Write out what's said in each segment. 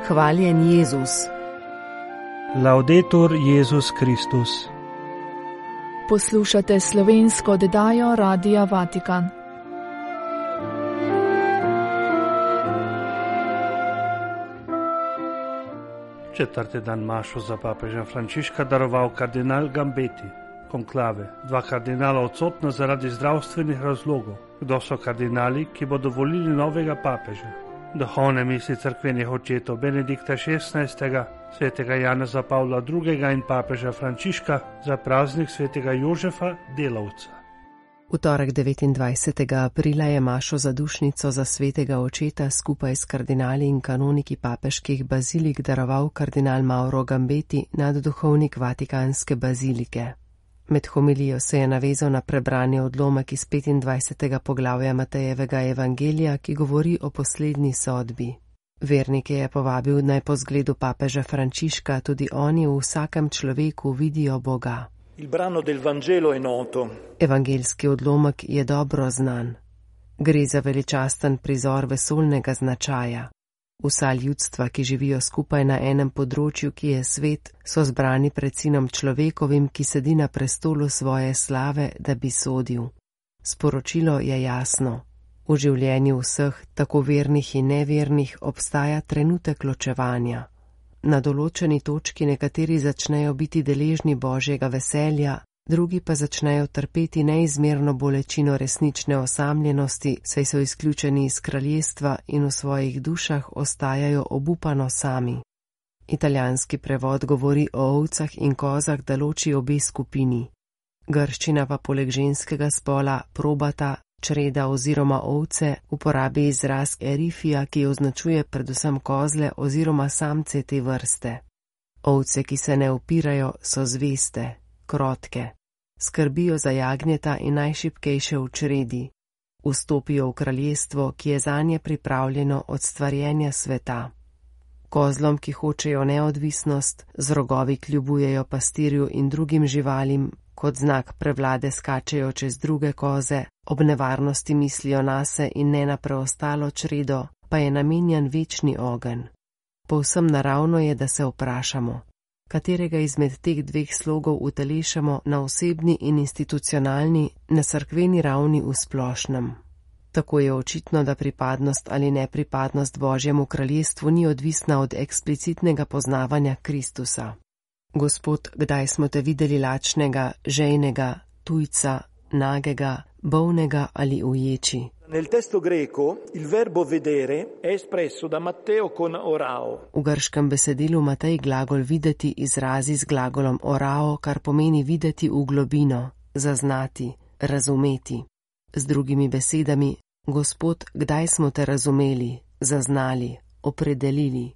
Hvaljen Jezus. Laudetur Jezus Kristus. Poslušate slovensko oddajo Radia Vatikan. Četrti dan mašo za papeža Frančiška daroval kardinal Gambeti. Konklave. 2 kardinala odsotna zaradi zdravstvenih razlogov. Kdo so kardinali, ki bodo volili novega papeža? Duhovne misli cerkvenih očetov Benedikta XVI., svetega Janeza Pavla II. In papeža Frančiška za praznik svetega Jožefa Delavca. V torek 29. aprila je mašo zadušnico za svetega očeta skupaj s kardinali in kanoniki papeških bazilik daroval kardinal Mauro Gambeti, nadduhovnik Vatikanske bazilike. Med homilijo se je navezal na prebrani odlomek iz 25. poglavja Matejevega evangelija, ki govori o poslednji sodbi. Vernike je povabil, naj po zgledu papeža Frančiška tudi oni v vsakem človeku vidijo Boga. Il brano del Vangelo è noto. Evangeljski odlomek je dobro znan. Gre za veličasten prizor vesoljnega značaja. Vsa ljudstva, ki živijo skupaj na enem področju, ki je svet, so zbrani pred sinom človekovim, ki sedi na prestolu svoje slave, da bi sodil. Sporočilo je jasno. V življenju vseh, tako vernih in nevernih, obstaja trenutek ločevanja. Na določeni točki nekateri začnejo biti deležni Božjega veselja, drugi pa začnejo trpeti neizmerno bolečino resnične osamljenosti, saj so izključeni iz kraljestva in v svojih dušah ostajajo obupano sami. Italijanski prevod govori o ovcah in kozah, da loči obe skupini. Grščina pa poleg ženskega spola probata, čreda oziroma ovce uporabi izraz erifija, ki označuje predvsem kozle oziroma samce te vrste. Ovce, ki se ne upirajo, so zveste, krotke. Skrbijo za jagnjeta in najšibkejše v čredi. Vstopijo v kraljestvo, ki je zanje pripravljeno od stvarjenja sveta. Kozlom, ki hočejo neodvisnost, z rogovi kljubujejo pastirju in drugim živalim, kot znak prevlade skačejo čez druge koze, ob nevarnosti mislijo nase in ne na preostalo čredo, pa je namenjen večni ogenj. Povsem naravno je, da se vprašamo, katerega izmed teh dveh slogov utelešamo na osebni in institucionalni, na cerkveni ravni v splošnem. Tako je očitno, da pripadnost ali nepripadnost Božjemu kraljestvu ni odvisna od eksplicitnega poznavanja Kristusa. Gospod, kdaj smo te videli lačnega, žejnega, tujca, nagega, bolnega ali uječi? Nel testo greco il verbo vedere è espresso da Matteo con orao. V grškem besedilu Matej glagol videti izrazi z glagolom orao, kar pomeni videti v globino, zaznati, razumeti. Z drugimi besedami, Gospod, kdaj smo te razumeli, zaznali, opredelili?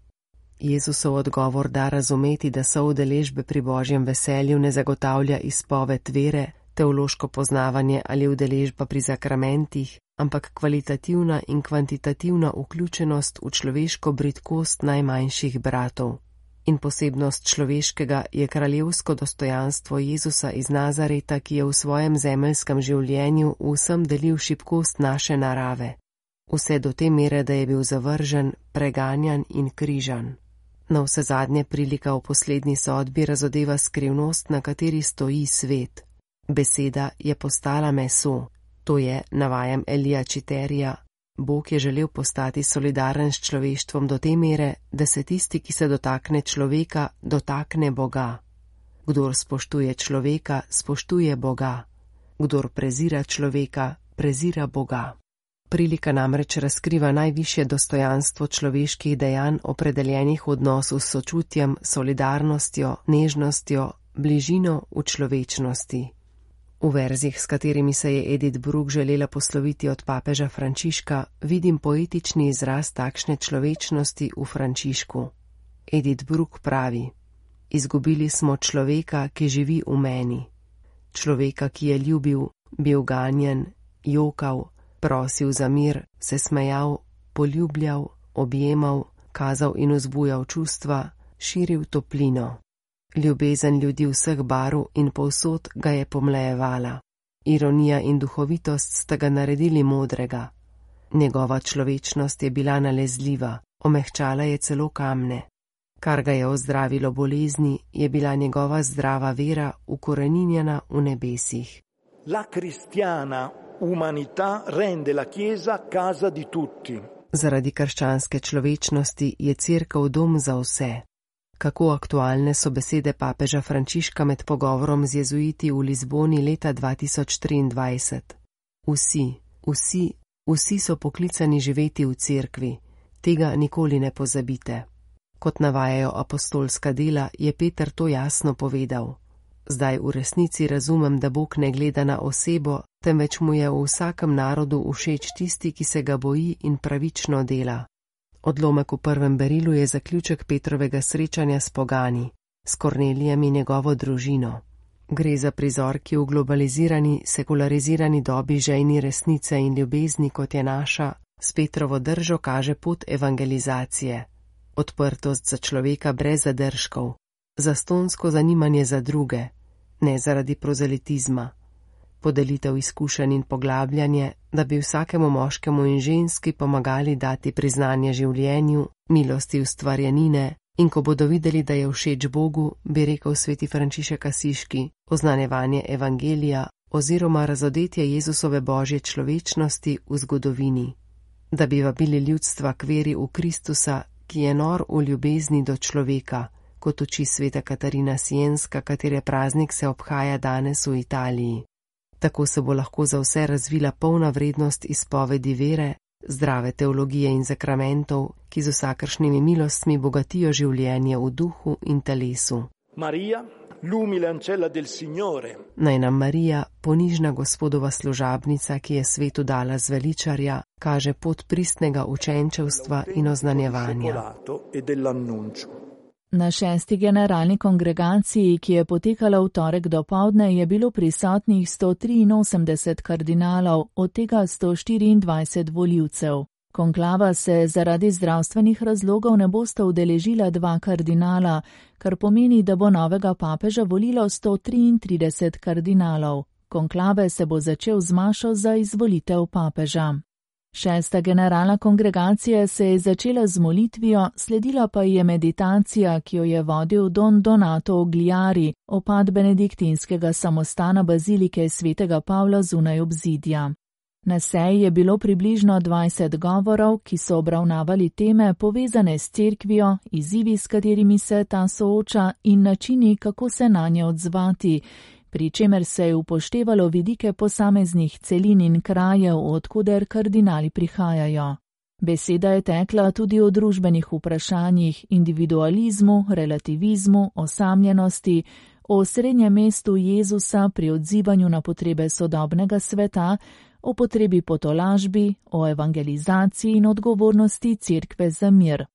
Jezusov odgovor da razumeti, da soudeležbe pri Božjem veselju ne zagotavlja izpoved vere, teološko poznavanje ali udeležba pri sakramentih, ampak kvalitativna in kvantitativna vključenost v človeško bridkost najmanjših bratov. In posebnost človeškega je kraljevsko dostojanstvo Jezusa iz Nazareta, ki je v svojem zemeljskem življenju vsem delil šibkost naše narave. Vse do te mere, da je bil zavržen, preganjan in križan. Navsezadnje prilika v poslednji sodbi razodeva skrivnost, na kateri stoji svet. Beseda je postala meso, to je, navajam Elija Čiterija, Bog je želel postati solidaren s človeštvom do te mere, da se tisti, ki se dotakne človeka, dotakne Boga. Kdor spoštuje človeka, spoštuje Boga. Kdor prezira človeka, prezira Boga. Prilika namreč razkriva najvišje dostojanstvo človeških dejanj, opredeljenih v odnosu s sočutjem, solidarnostjo, nežnostjo, bližino v človečnosti. V verzih, s katerimi se je Edith Bruck želela posloviti od papeža Frančiška, vidim poetični izraz takšne človečnosti v Frančišku. Edith Bruck pravi: Izgubili smo človeka, ki živi v meni. Človeka, ki je ljubil, bil ganjen, jokal, prosil za mir, se smejal, poljubljal, objemal, kazal in vzbujal čustva, širil toplino. Ljubezen ljudi vseh barv in povsod ga je pomlajevala. Ironija in duhovitost sta ga naredili modrega. Njegova človečnost je bila nalezljiva, omehčala je celo kamne. Kar ga je ozdravilo bolezni, je bila njegova zdrava vera ukoreninjena v nebesih. La cristiana umanità rende la Chiesa casa di tutti. Zaradi krščanske človečnosti je cerkev dom za vse. Kako aktualne so besede papeža Frančiška med pogovorom z jezuiti v Lizboni leta 2023. Vsi so poklicani živeti v cerkvi. Tega nikoli ne pozabite. Kot navajajo apostolska dela, je Peter to jasno povedal. Zdaj v resnici razumem, da Bog ne gleda na osebo, temveč mu je v vsakem narodu všeč tisti, ki se ga boji in pravično dela. Odlomek v prvem berilu je zaključek Petrovega srečanja s pogani, s Kornelijem in njegovo družino. Gre za prizor, ki v globalizirani, sekularizirani dobi žejni resnice in ljubezni, kot je naša, s Petrovo držo kaže pot evangelizacije. Odprtost za človeka brez zadržkov, zastonsko zanimanje za druge, ne zaradi prozelitizma. Podelitev izkušenj in poglabljanje, da bi vsakemu moškemu in ženski pomagali dati priznanje življenju, milosti ustvarjenine, in ko bodo videli, da je všeč Bogu, bi rekel sveti Frančišek Asiški, oznanjevanje evangelija oziroma razodetje Jezusove božje človečnosti v zgodovini. Da bi vabili ljudstva k veri v Kristusa, ki je nor v ljubezni do človeka, kot uči sveta Katarina Sienska, katere praznik se obhaja danes v Italiji. Tako se bo lahko za vse razvila polna vrednost izpovedi vere, zdrave teologije in zakramentov, ki z vsakršnimi milostmi bogatijo življenje v duhu in telesu. Maria, l'umile ancella del Signore. Naj nam Marija, ponižna Gospodova služabnica, ki je svetu dala zveličarja, kaže pot pristnega učenčevstva in oznanjevanja. Na 6. generalni kongregaciji, ki je potekala v torek dopoldne, je bilo prisotnih 183 kardinalov, od tega 124 volivcev. Konklava se zaradi zdravstvenih razlogov ne bosta udeležila 2 kardinala, kar pomeni, da bo novega papeža volilo 133 kardinalov. Konklave se bo začel z mašo za izvolitev papeža. 6. generalna kongregacija se je začela z molitvijo, sledila pa je meditacija, ki jo je vodil Don Donato Ogliari, opat benediktinskega samostana bazilike svetega Pavla zunaj obzidja. Na seji je bilo približno 20 govorov, ki so obravnavali teme povezane s cerkvijo, izzivi, s katerimi se ta sooča in načini, kako se nanje odzvati, pri čemer se je upoštevalo vidike posameznih celin in krajev, odkuder kardinali prihajajo. Beseda je tekla tudi o družbenih vprašanjih, individualizmu, relativizmu, osamljenosti, o srednjem mestu Jezusa pri odzivanju na potrebe sodobnega sveta, o potrebi po tolažbi, o evangelizaciji in odgovornosti cerkve za mir.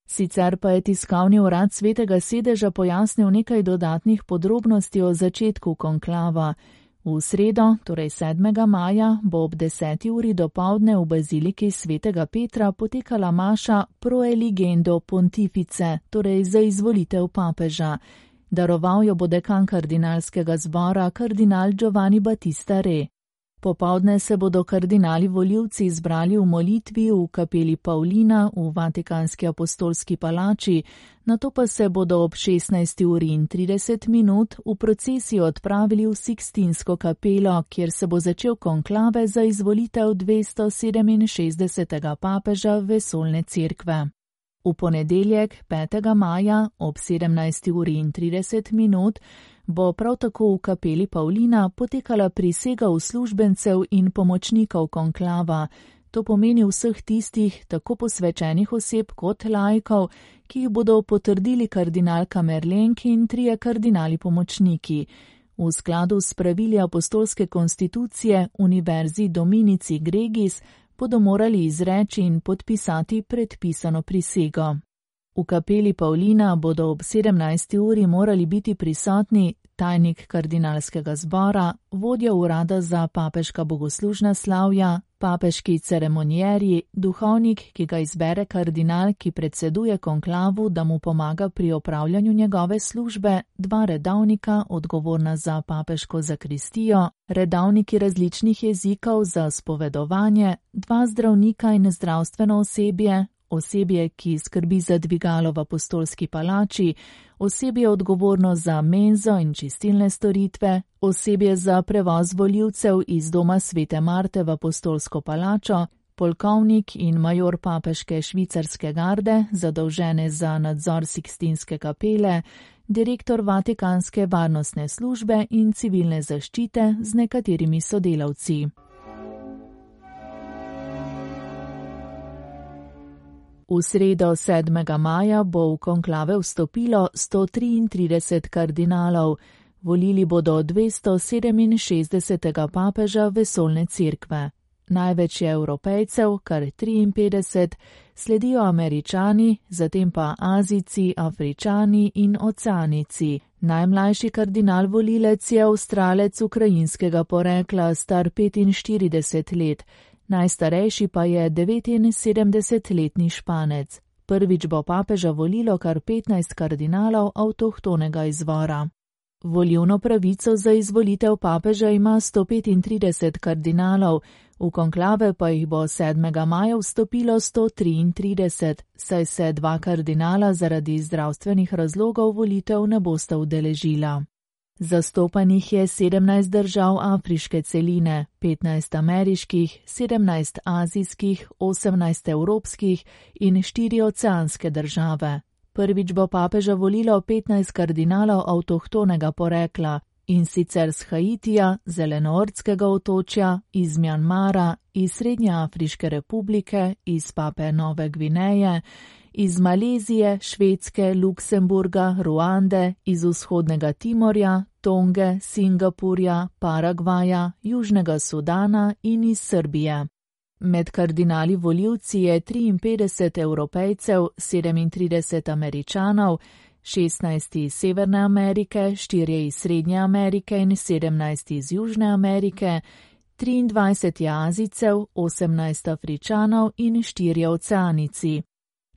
Sicer pa je tiskovni urad Svetega sedeža pojasnil nekaj dodatnih podrobnosti o začetku konklava. V sredo, torej 7. maja, bo ob 10. uri dopoldne v baziliki Svetega Petra potekala maša pro eligendo pontifice, torej za izvolitev papeža. Daroval jo bo dekan kardinalskega zbora kardinal Giovanni Battista Re. Popoldne se bodo kardinali volivci izbrali v molitvi v kapeli Paulina v Vatikanski apostolski palači, nato pa se bodo ob 16:30 v procesiji odpravili v Sikstinsko kapelo, kjer se bo začel konklave za izvolitev 267. papeža vesoljne cerkve. V ponedeljek, 5. maja, ob 17:30 bo prav tako v kapeli Paulina potekala prisega uslužbencev in pomočnikov konklava. To pomeni vseh tistih, tako posvečenih oseb kot laikov, ki jih bodo potrdili kardinal Kamerlenk in 3 kardinali pomočniki. V skladu s pravili apostolske konstitucije Univerzi Dominici Gregis bodo morali izreči in podpisati predpisano prisego. V kapeli Paulina bodo ob 17. uri morali biti prisotni tajnik kardinalskega zbora, vodja urada za papeška bogoslužna slavja, papeški ceremonierji, duhovnik, ki ga izbere kardinal, ki predseduje konklavu, da mu pomaga pri opravljanju njegove službe, 2 redavnika, odgovorna za papeško zakristijo, redavniki različnih jezikov za spovedovanje, 2 zdravnika in zdravstveno osebje, osebje, ki skrbi za dvigalo v apostolski palači, osebje odgovorno za menzo in čistilne storitve, osebje za prevoz volivcev iz doma Svete Marte v apostolsko palačo, polkovnik in major papeške švicarske garde, zadolžene za nadzor Sikstinske kapele, direktor Vatikanske varnostne službe in civilne zaščite z nekaterimi sodelavci. V sredo 7. maja bo v konklave vstopilo 133 kardinalov. Volili bodo 267. papeža vesoljne cerkve. Največ je Evropejcev, kar 53, sledijo Američani, zatem pa Azijci, Afričani in Oceanici. Najmlajši kardinal volilec je Avstralec ukrajinskega porekla, star 45 let. Najstarejši pa je 79-letni Španec. Prvič bo papeža volilo kar 15 kardinalov avtohtonega izvora. Volilno pravico za izvolitev papeža ima 135 kardinalov, v konklave pa jih bo 7. maja vstopilo 133, saj se 2 kardinala zaradi zdravstvenih razlogov volitev ne bosta udeležila. Zastopanih je 17 držav afriške celine, 15 ameriških, 17 azijskih, 18 evropskih in 4 oceanske države. Prvič bo papeža volilo 15 kardinalov avtohtonega porekla, in sicer z Haitija, Zelenortskega otočja, iz Mjanmara, iz Srednjeafriške republike, iz Papue Nove Gvineje, iz Malezije, Švedske, Luksemburga, Ruande, iz Vzhodnega Timorja, Tonge, Singapurja, Paragvaja, Južnega Sudana in iz Srbije. Med kardinali volivci je 53 Evropejcev, 37 Američanov, 16 iz Severne Amerike, 4 iz Srednje Amerike in 17 iz Južne Amerike, 23 Azijcev, 18 Afričanov in 4 Oceanici.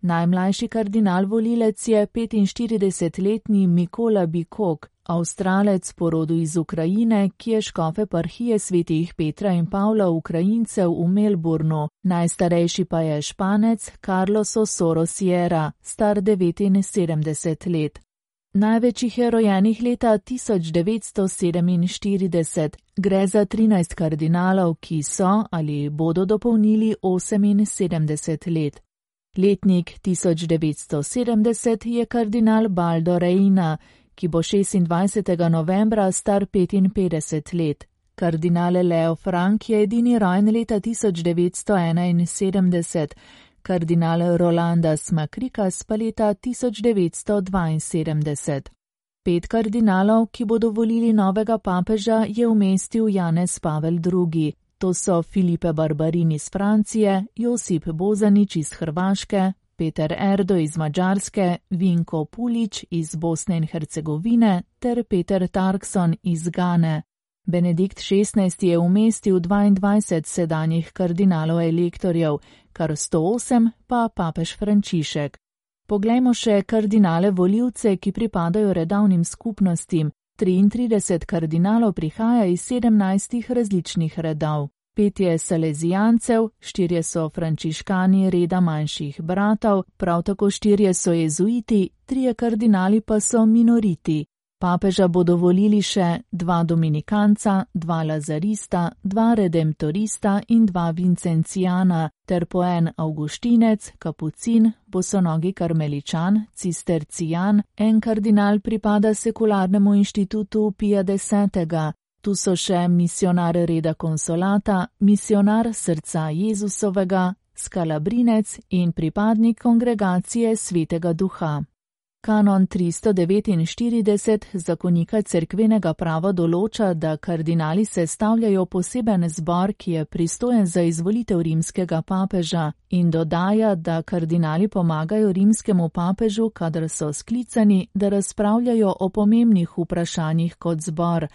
Najmlajši kardinal volilec je 45-letni Mikola Bikok, Avstralec po rodu iz Ukrajine, ki je škof eparhije svetih Petra in Pavla Ukrajincev v Melbournu. Najstarejši pa je Španec Carlos Osoro Sierra, star 79 let. Največ jih je rojenih leta 1947. Gre za 13 kardinalov, ki so ali bodo dopolnili 78 let. Letnik 1970 je kardinal Baldo Reina, ki bo 26. novembra star 55 let. Kardinal Leo Frank je edini rojen leta 1971, kardinal Rolandas Makrikas pa leta 1972. 5 kardinalov, ki bodo volili novega papeža, je umestil Janez Pavel II. To so Filipe Barbarin iz Francije, Josip Bozanić iz Hrvaške, Peter Erdo iz Mađarske, Vinko Pulić iz Bosne in Hercegovine ter Peter Tarkson iz Gane. Benedikt XVI je umestil 22 sedanjih kardinalov elektorjev, kar 108 pa papež Frančišek. Poglejmo še kardinale volivce, ki pripadajo redavnim skupnostim. 33 kardinalov prihaja iz 17 različnih redov. 5 je salezijancev, 4 so frančiškani reda manjših bratov, prav tako 4 so jezuiti, 3 kardinali pa so minoriti. Papeža bodo volili še 2 dominikanca, 2 lazarista, 2 redemptorista in 2 vincencijana, ter po en avguštinec, kapucin, bosonogi karmeličan, cistercijan, en kardinal pripada sekularnemu inštitutu Pija X. Tu so še misionar reda konsolata, misionar srca Jezusovega, skalabrinec in pripadnik kongregacije Svetega Duha. Kanon 349 zakonika cerkvenega prava določa, da kardinali sestavljajo poseben zbor, ki je pristojen za izvolitev rimskega papeža, in dodaja, da kardinali pomagajo rimskemu papežu, kadar so sklicani, da razpravljajo o pomembnih vprašanjih kot zbor,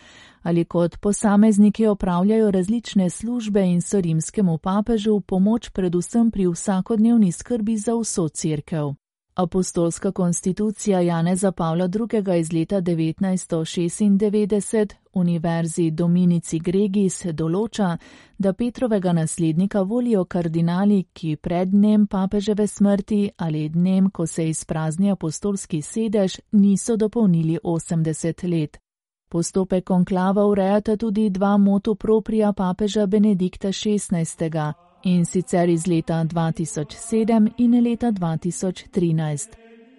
ali kot posamezniki opravljajo različne službe in so rimskemu papežu v pomoč predvsem pri vsakodnevni skrbi za vso cerkev. Apostolska konstitucija Janeza Pavla II. Iz leta 1996 univerzi Dominici Gregis določa, da Petrovega naslednika volijo kardinali, ki pred dnem papeževe smrti ali dnem, ko se izprazni apostolski sedež, niso dopolnili 80 let. Postopek konklava urejata tudi dva motu propria papeža Benedikta XVI, in sicer iz leta 2007 in leta 2013.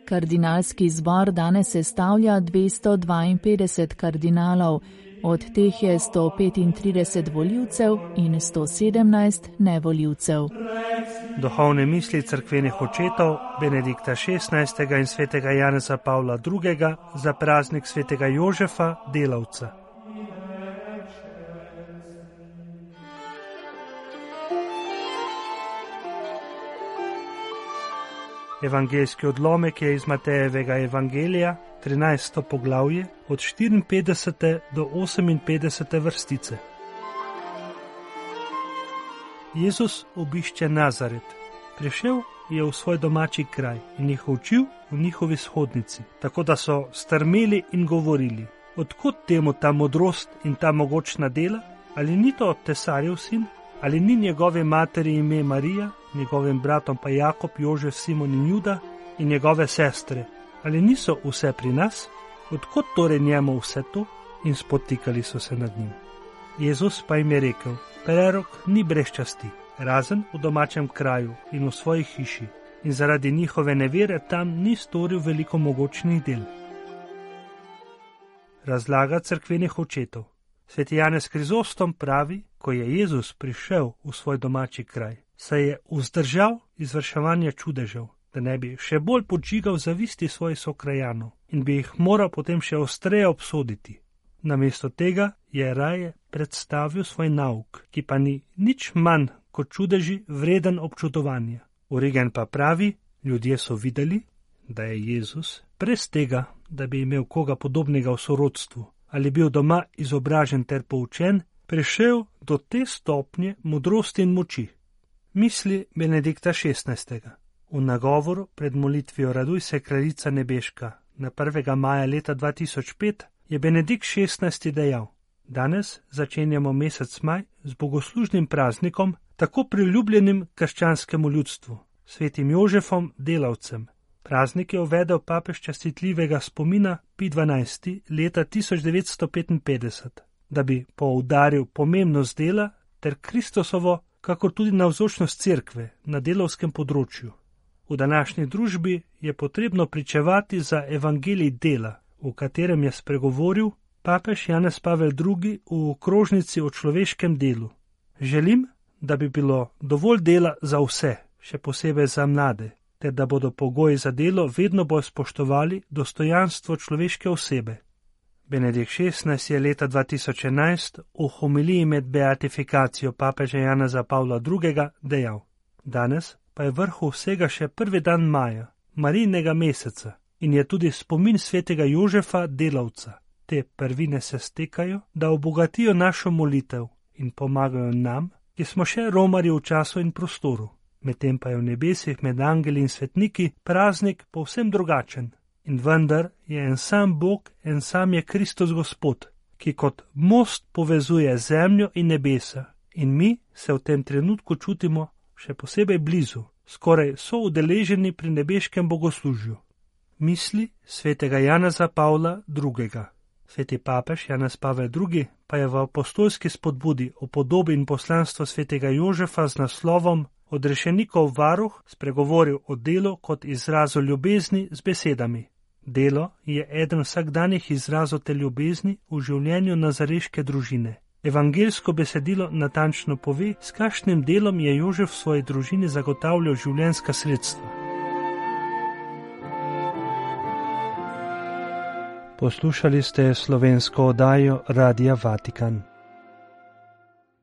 Kardinalski zbor danes sestavlja 252 kardinalov, od teh je 135 volivcev in 117 nevolivcev. Duhovne misli cerkvenih očetov Benedikta XVI in svetega Janeza Pavla II. Za praznik svetega Jožefa, delavca. Evangeljski odlomek je iz Matejevega evangelija, 13. poglavje, od 54. do 58. vrstice. Jezus obišče Nazaret. Prišel je v svoj domači kraj in jih učil v njihovi shodnici, tako da so strmeli in govorili: odkot temu ta modrost in ta mogočna dela? Ali ni to tesarjev sin? Ali ni njegove materi ime Marija, njegovim bratom pa Jakob, Jožef, Simon in Juda in njegove sestre? Ali niso vse pri nas? Odkot torej njemu vse to? In spotikali so se nad njim. Jezus pa jim je rekel: prerok ni brez časti, razen v domačem kraju in v svoji hiši, in zaradi njihove nevere tam ni storil veliko mogočnih del. Razlaga cerkvenih očetov. Sveti Janez Krizostom pravi, ko je Jezus prišel v svoj domači kraj, se je vzdržal izvrševanja čudežev, da ne bi še bolj podžigal zavisti svojih sokrajanov in bi jih moral potem še ostreje obsoditi. Namesto tega je raje predstavil svoj nauk, ki pa ni nič manj kot čudeži vreden občudovanja. Origen pa pravi, ljudje so videli, da je Jezus brez tega, da bi imel koga podobnega v sorodstvu ali bil doma izobražen ter poučen, prišel do te stopnje modrosti in moči. Misli Benedikta XVI. V nagovoru pred molitvijo Raduj se kraljica nebeška na 1. maja leta 2005 je Benedikt XVI. Dejal: danes začenjamo mesec maj z bogoslužnim praznikom, tako priljubljenim krščanskemu ljudstvu, svetim Jožefom, delavcem. Praznik je uvedel papež častitljivega spomina Pij XII. Leta 1955, da bi poudaril pomembnost dela ter Kristusovo, kakor tudi navzočnost cerkve na delavskem področju. V današnji družbi je potrebno pričevati za evangelij dela, v katerem je spregovoril papež Janez Pavel II. V okrožnici o človeškem delu. Želim, da bi bilo dovolj dela za vse, še posebej za mlade, ter da bodo pogoji za delo vedno bolj spoštovali dostojanstvo človeške osebe. Benedikt XVI. Je leta 2011 v homiliji med beatifikacijo papeža Janeza Pavla II. Dejal: danes pa je vrhu vsega še 1. dan maja, Marijinega meseca, in je tudi spomin svetega Jožefa, delavca. Te prvine se stekajo, da obogatijo našo molitev in pomagajo nam, ki smo še romarji v času in prostoru. Medtem pa je v nebesih med angeli in svetniki praznik povsem drugačen. In vendar je en sam Bog, en sam je Kristus Gospod, ki kot most povezuje zemljo in nebesa. In mi se v tem trenutku čutimo še posebej blizu, skoraj so udeleženi pri nebeškem bogoslužju. Misli svetega Janeza Pavla II. Sveti papež Janez Pavel II. Pa je v apostolski spodbudi o podobi in poslanstvu svetega Jožefa z naslovom Odrešenikov varuh spregovoril o delu kot izrazu ljubezni z besedami. Delo je eden vsakdanjih izrazov te ljubezni v življenju nazareške družine. Evangeljsko besedilo natančno pove, s kakšnim delom je Jožef v svoji družini zagotavljal življenjska sredstva. Poslušali ste slovensko oddajo Radia Vatikan.